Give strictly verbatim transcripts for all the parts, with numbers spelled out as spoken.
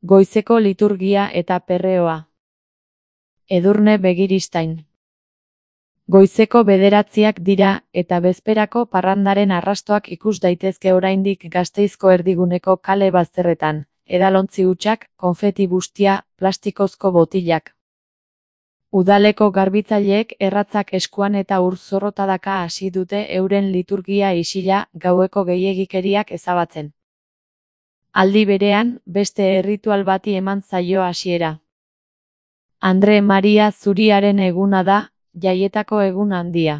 Goizeko liturgia eta perreoa. Edurne Begiristain. Goizeko bederatziak dira, eta bezperako parrandaren arrastoak ikus daitezke oraindik Gasteizko erdiguneko kale bazterretan, edalontzi hutsak, konfeti bustia, plastikozko botilak. Udaleko garbitzaileek erratzak eskuan eta ur zorrotadaka hasi dute euren liturgia isila gaueko gehiegikeriak ezabatzen. Aldi berean, beste erritual bati eman zaio hasiera. Andre Maria Zuriaren eguna da, jaietako egun handia.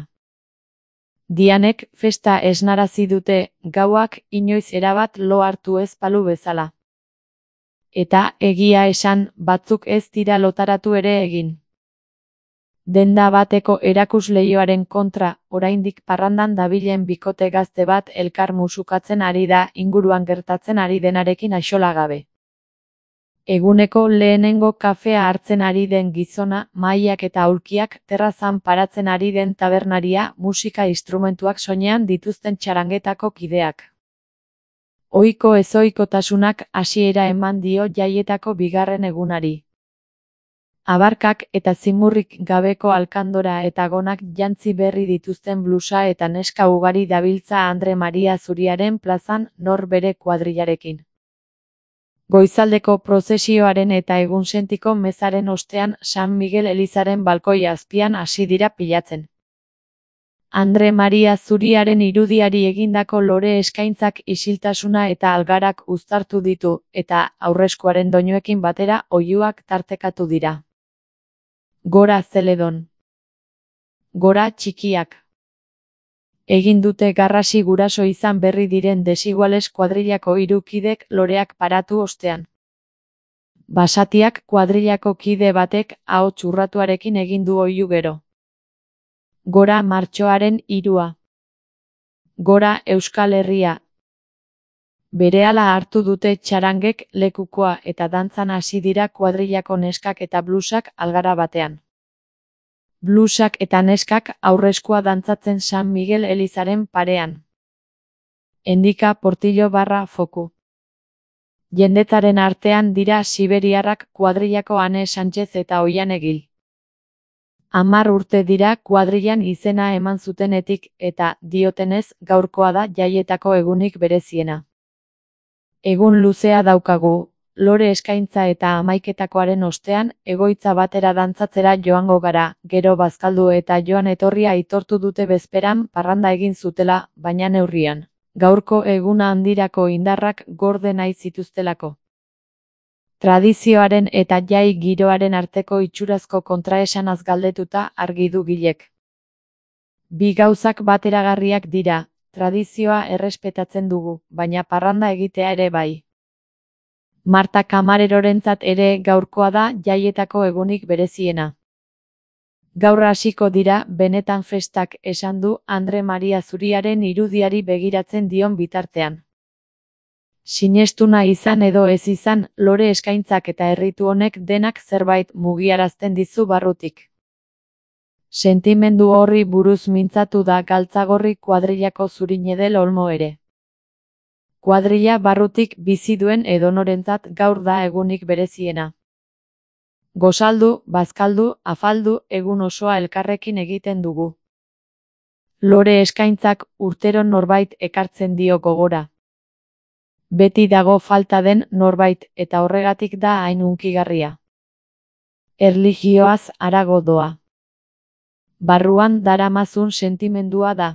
Dianek festa esnarazi dute, gauak inoiz erabat lo hartu ez balu bezala. Eta, egia esan, batzuk ez dira lotaratu ere egin. Denda bateko erakusleioaren kontra, oraindik parrandan dabilen bikote gazte bat elkar musukatzen ari da inguruan gertatzen ari denarekin axola gabe. Eguneko lehenengo kafea hartzen ari den gizona, mahaiak eta aulkiak terrazan paratzen ari den tabernaria, musika instrumentuak soinean dituzten txarangetako kideak. Ohiko ezohikotasunak hasiera eman dio jaietako bigarren egunari. Abarkak eta zimurrik gabeko alkandora eta gonak jantzi berri dituzten blusa eta neska ugari dabiltza Andre Maria Zuriaren plazan nor bere kuadrillarekin. Goizaldeko prozesioaren eta egunsentiko mezaren ostean San Miguel elizaren balkoi azpian hasi dira pilatzen. Andre Maria Zuriaren irudiari egindako lore eskaintzak isiltasuna eta algarak uztartu ditu, eta aurreskuaren doinuekin batera oihuak tartekatu dira. Gora Zeledon. Gora txikiak. Egin dute garrasi guraso izan berri diren Desiguales kuadrillako hiru kidek loreak paratu ostean. Basatiak kuadrillako kide batek ahots urratuarekin egin du oihu gero. Gora martxoaren hirua. Gora Euskal Herria. Berehala hartu dute txarangek lekukoa eta dantzan hasi dira kuadrillako neskak eta blusak algara batean. Blusak eta neskak aurreskua dantzatzen San Miguel elizaren parean. Endika Portillo barra foku. Jendetaren artean dira siberiarrak kuadrillako Ane Sánchez eta Oian Egil. Hamar urte dira kuadrillan izena eman zutenetik eta, diotenez, gaurkoa da jaietako egunik bereziena. Egun luzea daukagu, lore eskaintza eta hamaiketakoaren ostean, egoitza batera dantzatzera joango gara, gero bazkaldu eta joan etorria aitortu dute bezperan parranda egin zutela, baina neurrian. Gaurko eguna handirako indarrak gorde nahi zituztelako. Tradizioaren eta jai giroaren arteko itxurazko kontraesanaz galdetuta argi du Gilek. Bi gauzak bateragarriak dira. Tradizioa errespetatzen dugu, baina parranda egitea ere bai. Marta Kamarerorentzat ere gaurkoa da jaietako egunik bereziena. Gaur hasiko dira benetan festak, esan du Andre Maria Zuriaren irudiari begiratzen dion bitartean. Sinestuna izan edo ez izan, lore eskaintzak eta erritu honek denak zerbait mugiarazten dizu barrutik. Sentimendu horri buruz mintzatu da Galtzagorri kuadrillako Zurinedel Olmo ere. Kuadrilla barrutik bizi duen edonorentzat gaur da egunik bereziena. Gozaldu, bazkaldu, afaldu, egun osoa elkarrekin egiten dugu. Lore eskaintzak urtero norbait ekartzen dio gogora. Beti dago falta den norbait eta horregatik da hain hunkigarria. Erlijioaz harago doa. Barruan daramazun sentimendua da.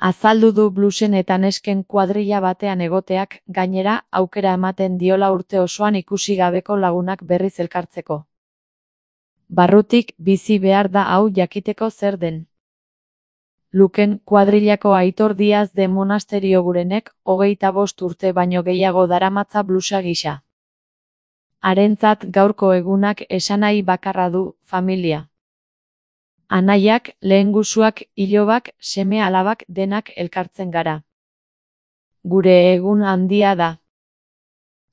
Azaldu du blusen eta nesken kuadrilla batean egoteak, gainera, aukera ematen diola urte osoan ikusi gabeko lagunak berriz elkartzeko. Barrutik bizi behar da hau jakiteko zer den. Luken kuadrillako Aitor Diaz de Monasterio Gurenek, hogeita bost urte baino gehiago daramatza blusa gisa. Harentzat gaurko egunak esanahi bakarra du, familia. Anaiak, lehengusuak, ilobak, seme alabak denak elkartzen gara. Gure egun handia da.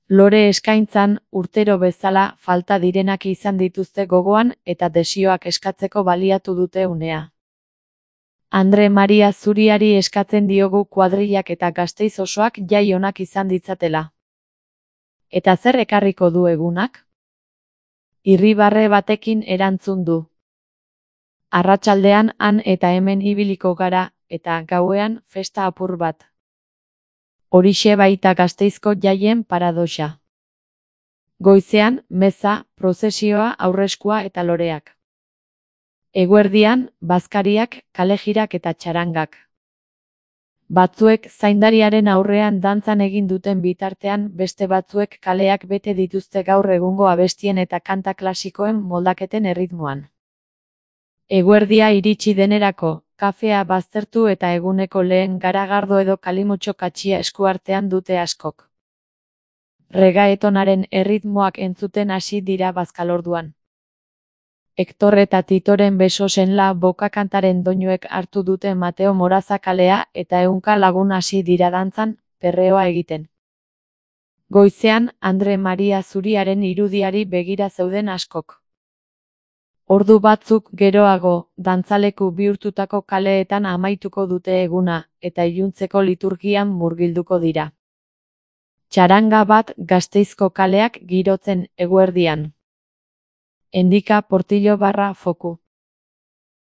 Lore eskaintzan, urtero bezala, falta direnak izan dituzte gogoan eta desioak eskatzeko baliatu dute unea. Andre Maria Zuriari eskatzen diogu kuadrillak eta Gasteiz osoak jai onak izan ditzatela. Eta zer ekarriko du egunak? Irribarre batekin erantzun du. Arratsaldean han eta hemen ibiliko gara, eta gauean festa apur bat. Horixe baita Gasteizko jaien paradoxa. Goizean, meza, prozesioa, aurreskua eta loreak. Eguerdian, bazkariak, kalejirak eta txarangak. Batzuek zaindariaren aurrean dantzan egin duten bitartean beste batzuek kaleak bete dituzte gaur egungo abestien eta kanta klasikoen moldaketen erritmoan. Eguerdia iritsi denerako, kafea baztertu eta eguneko lehen garagardo edo kalimotxo katxia eskuartean dute askok. Regaetonaren erritmoak entzuten hasi dira bazkalorduan. Hektor eta Titoren besosen la boka kantaren doinuek hartu dute Mateo Moraza kalea eta ehunka lagun hasi dira dantzan, perreoa egiten. Goizean, Andre Maria Zuriaren irudiari begira zeuden askok. Ordu batzuk geroago, dantzaleku bihurtutako kaleetan amaituko dute eguna, eta iluntzeko liturgian murgilduko dira. Txaranga bat Gasteizko kaleak girotzen eguerdian. Endika Portillo barra Foku.